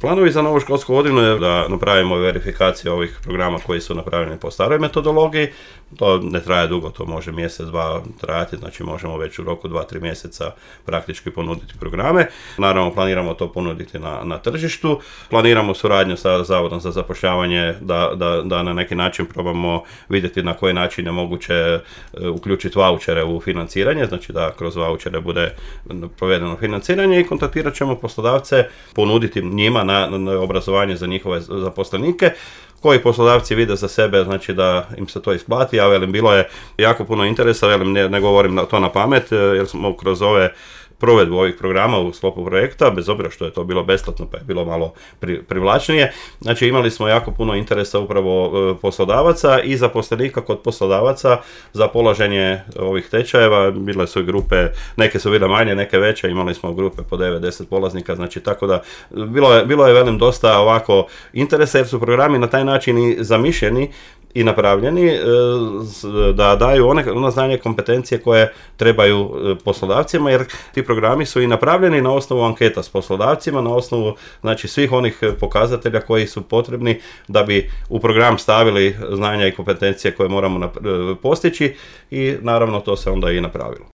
Planovi za novu školsku godinu je da napravimo verifikaciju ovih programa koji su napravljeni po staroj metodologiji. To ne traje dugo, to može mjesec, dva trajati, znači možemo već u roku 2-3 mjeseca praktički ponuditi programe. Naravno, planiramo to ponuditi na tržištu. Planiramo suradnju sa Zavodom za zapošljavanje da na neki način probamo vidjeti na koji način je moguće uključiti vaučere u financiranje, znači da kroz vaučere bude provedeno financiranje i kontaktirat ćemo poslodavce, ponuditi njima na obrazovanje za njihove zaposlenike, koji poslodavci vide za sebe, znači da im se to isplati, a velim, bilo je jako puno interesa, velim, ne govorim to na pamet, jer smo kroz provedbu ovih programa u sklopu projekta, bez obzira što je to bilo besplatno pa je bilo malo privlačnije. Znači imali smo jako puno interesa upravo poslodavaca i zaposlenika kod poslodavaca za polaženje ovih tečajeva. Bile su i grupe, neke su bile manje, neke veće, imali smo grupe po 9-10 polaznika, znači tako da bilo je velim dosta ovako interesa jer su programi na taj način i zamišljeni i napravljeni da daju ono znanje i kompetencije koje trebaju poslodavcima, jer ti programi su i napravljeni na osnovu anketa s poslodavcima, na osnovu znači svih onih pokazatelja koji su potrebni da bi u program stavili znanja i kompetencije koje moramo postići i naravno to se onda i napravilo.